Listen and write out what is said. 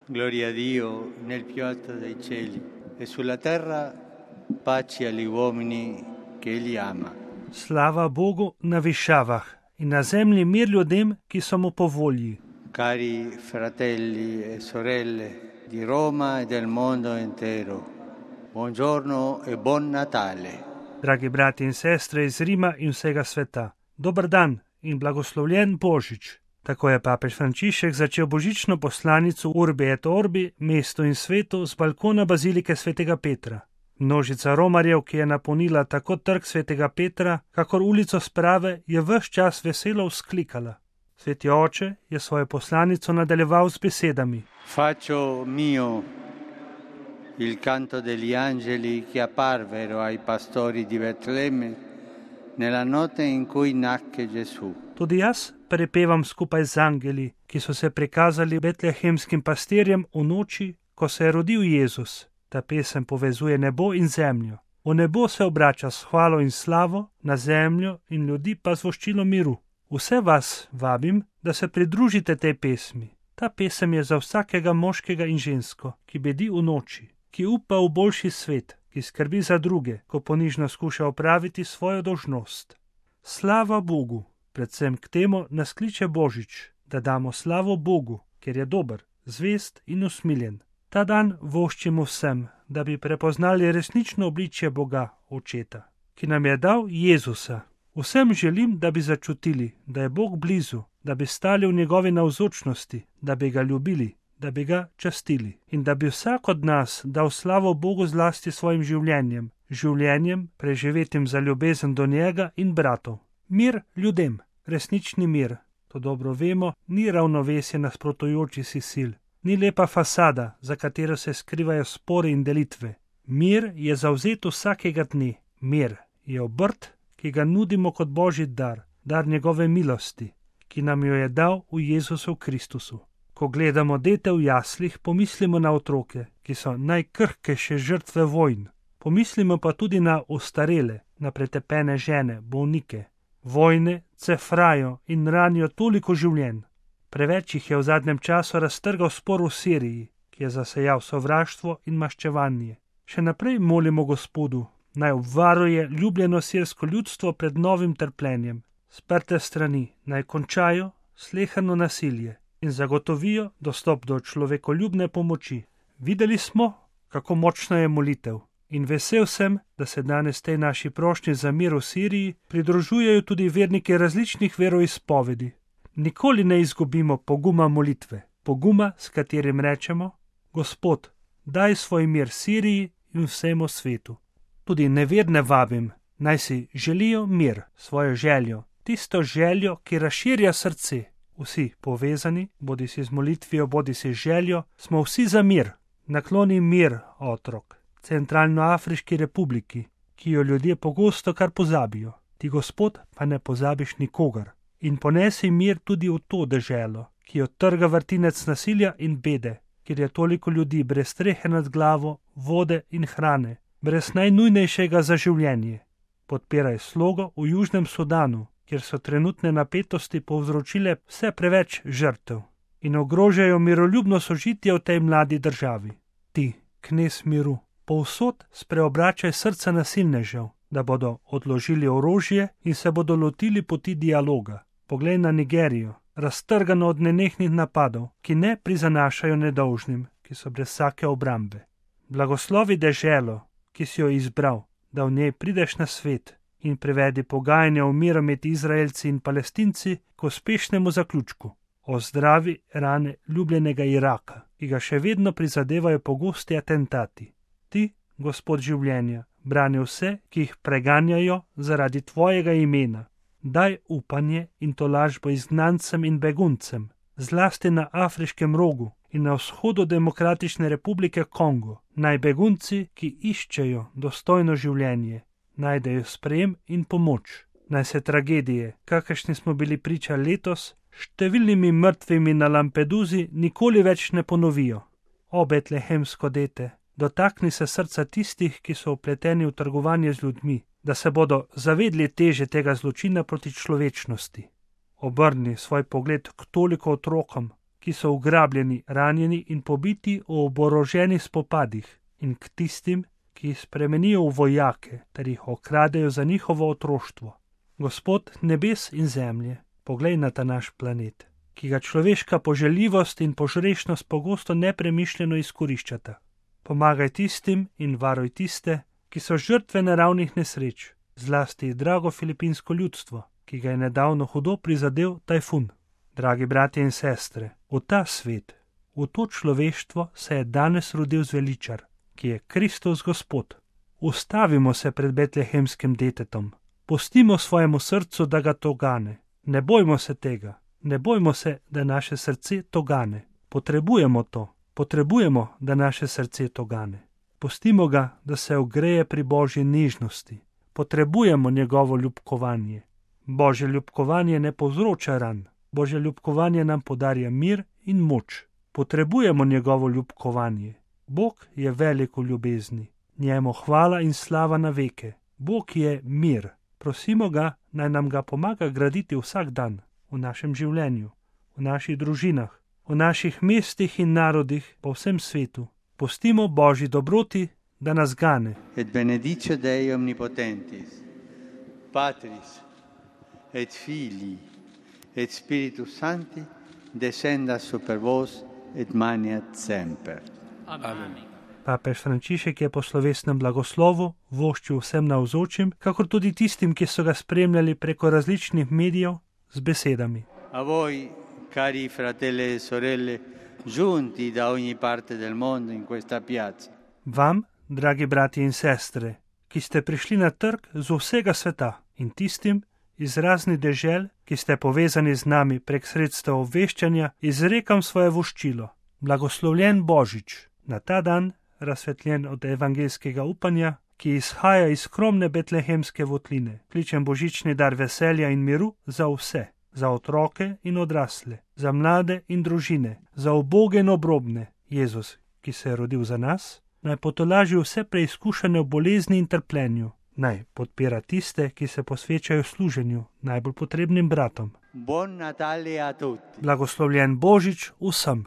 Gloria a Dio nel più alto dei cieli e sulla terra pace agli uomini che Egli ama. Slava Bogu na višavah in na zemlji mir ljudem, ki so mu po volji. Cari fratelli e sorelle di Roma e del mondo intero, buongiorno e buon Natale. Dragi brati in sestre iz Rima in vsega sveta, dober dan in blagoslovljen Božič. Tako je papež Frančišek začel božično poslanico Urbi et Orbi, mestu in svetu, z balkona bazilike svetega Petra. Množica romarjev, ki je napolnila tako trg svetega Petra, kakor ulico Sprave, je ves čas veselo vzklikala. Sveti oče je svojo poslanico nadaljeval z besedami. Faccio mio il canto degli angeli che apparvero ai pastori di Betlemme nella notte in cui nacque Gesù. Tudi jaz prepevam skupaj z angeli, ki so se prikazali betlehemskim pastirjem v noči, ko se je rodil Jezus. Ta pesem povezuje nebo in zemljo. V nebo se obrača s hvalo in slavo, na zemljo in ljudi pa z voščilo miru. Vse vas vabim, da se pridružite tej pesmi. Ta pesem je za vsakega moškega in žensko, ki bedi v noči, ki upa v boljši svet, ki skrbi za druge, ko ponižno skuša opraviti svojo dolžnost. Slava Bogu, predvsem k temu nas kliče Božič, da damo slavo Bogu, ker je dober, zvest in usmiljen. Ta dan voščimo vsem, da bi prepoznali resnično obličje Boga, Očeta, ki nam je dal Jezusa. Vsem želim, da bi začutili, da je Bog blizu, da bi stali v njegovi navzočnosti, da bi ga ljubili, da bi ga častili in da bi vsak od nas dal slavo Bogu zlasti svojim življenjem preživetim za ljubezen do njega in bratov. Mir ljudem, resnični mir, to dobro vemo, ni ravnovesje nasprotujoči si sil, ni lepa fasada, za katero se skrivajo spori in delitve. Mir je zavzet vsakega dne, mir je obrt, ki ga nudimo kot božji dar, dar njegove milosti, ki nam jo je dal v Jezusu Kristusu. Ko gledamo dete v jaslih, pomislimo na otroke, ki so najkrhkejše žrtve vojn. Pomislimo pa tudi na ostarele, na pretepene žene, bolnike. Vojne cefrajo in ranijo toliko življenj. Preveč jih je v zadnjem času raztrgal spor v Siriji, ki je zasejal sovraštvo in maščevanje. Še naprej molimo Gospodu, naj obvaruje ljubljeno sirsko ljudstvo pred novim trpljenjem. Sprte strani naj končajo sleherno nasilje in zagotovijo dostop do človekoljubne pomoči. Videli smo, kako močna je molitev in vesel sem, da se danes tej naši prošnji za mir v Siriji pridružujejo tudi verniki različnih veroizpovedi. Nikoli ne izgubimo poguma molitve, poguma, s katerim rečemo: Gospod, daj svoj mir Siriji in vsemu svetu. Tudi neverne vabim, naj si želijo mir, svojo željo, tisto željo, ki razširja srce. Vsi povezani, bodi si z molitvijo, bodi si z željo, smo vsi za mir. Nakloni mir, otrok, Centralnoafriški republiki, ki jo ljudje pogosto kar pozabijo. Ti, Gospod, pa ne pozabiš nikogar. In ponesi mir tudi v to deželo, ki jo trga vrtinec nasilja in bede, kjer je toliko ljudi brez strehe nad glavo, vode in hrane, brez najnujnejšega za življenje. Podpiraj slogo v Južnem Sudanu, kjer so trenutne napetosti povzročile vse preveč žrtev in ogrožajo miroljubno sožitje v tej mladi državi. Ti, knez miru, povsod spreobračaj srca nasilnežev, da bodo odložili orožje in se bodo lotili poti dialoga. Poglej na Nigerijo, raztrgano od nenehnih napadov, ki ne prizanašajo nedolžnim, ki so brez vsake obrambe. Blagoslovi deželo, ki si jo izbral, da v njej prideš na svet in privedi pogajanja o miru med Izraelci in Palestinci k uspešnemu zaključku. Ozdravi rane ljubljenega Iraka, ki ga še vedno prizadevajo pogosti atentati. Ti, Gospod življenja, brani vse, ki jih preganjajo zaradi tvojega imena. Daj upanje in tolažbo izgnancem in beguncem, zlasti na Afriškem rogu in na vzhodu Demokratične republike Kongo. Naj begunci, ki iščejo dostojno življenje, najdejo sprejem in pomoč. Naj se tragedije, kakršni smo bili priča letos, številnimi mrtvimi na Lampeduzi nikoli več ne ponovijo. O betlehemsko dete, dotakni se srca tistih, ki so vpleteni v trgovanje z ljudmi, da se bodo zavedli teže tega zločina proti človečnosti. Obrni svoj pogled k toliko otrokom, ki so ugrabljeni, ranjeni in pobiti v oboroženih spopadih, in k tistim, ki jih spremenijo v vojake, ter jih okradejo za njihovo otroštvo. Gospod nebes in zemlje, poglej na ta naš planet, ki ga človeška poželjivost in požrešnost pogosto nepremišljeno izkoriščata. Pomagaj tistim in varuj tiste, ki so žrtve naravnih nesreč, zlasti drago filipinsko ljudstvo, ki ga je nedavno hudo prizadel tajfun. Dragi bratje in sestre, v ta svet, v to človeštvo se je danes rodil zveličar, ki je Kristus Gospod. Ustavimo se pred betlehemskim detetom, pustimo svojemu srcu, da ga togane. Ne bojmo se tega, ne bojmo se, da naše srce togane. Potrebujemo to, potrebujemo, da naše srce togane. Pustimo ga, da se ogreje pri Božji nežnosti. Potrebujemo njegovo ljubkovanje. Božje ljubkovanje ne povzroča ran. Božje ljubkovanje nam podarja mir in moč. Potrebujemo njegovo ljubkovanje. Bog je velik v ljubezni. Njemu hvala in slava na veke. Bog je mir. Prosimo ga, naj nam ga pomaga graditi vsak dan v našem življenju, v naših družinah, v naših mestih in narodih po vsem svetu. Pustimo Božji dobroti, da nas gane. Et benedice Dei omnipotentis, Patris et Filii et Spiritus Sancti, descendat super vos et maniat semper. Amen. Papež Frančišek je po slovesnem blagoslovu voščil vsem navzočim, kakor tudi tistim, ki so ga spremljali preko različnih medijev, z besedami. A voi, cari fratelli e sorelle, giunti da ogni parte del mondo in questa piazza. Vam, dragi bratje in sestre, ki ste prišli na trg z vsega sveta, in tistim iz raznih dežel, ki ste povezani z nami prek sredstev obveščanja, izrekam svoje voščilo. Blagoslovljen Božič, na ta dan razsvetljen od evangelskega upanja, ki izhaja iz skromne betlehemske votline. Kličem božični dar veselja in miru za vse, za otroke in odrasle, za mlade in družine, za uboge in obrobne. Jezus, ki se je rodil za nas, naj potolaži vse preizkušene v bolezni in trpljenju, naj podpira tiste, ki se posvečajo služenju najbolj potrebnim bratom. Buon Natale a tutti. Blagoslovljen Božič vsem.